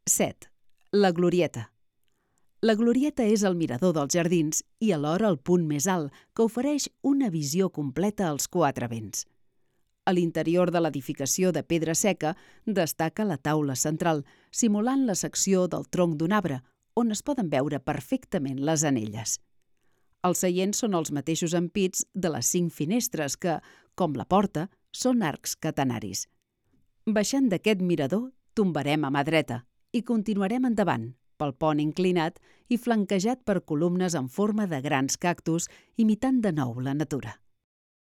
7. La Glorieta. La Glorieta és el mirador dels jardins i alhora el punt més alt que ofereix una visió completa als quatre vents. A l'interior de l'edificació de pedra seca destaca la taula central, simulant la secció del tronc d'un arbre, on es poden veure perfectament les anelles. Els seients són els mateixos ampits de les 5 finestres que, com la porta, són arcs catenaris. Baixant d'aquest mirador, tombarem a mà dreta i continuarem endavant, pel pont inclinat i flanquejat per columnes en forma de grans cactus imitant de nou la natura.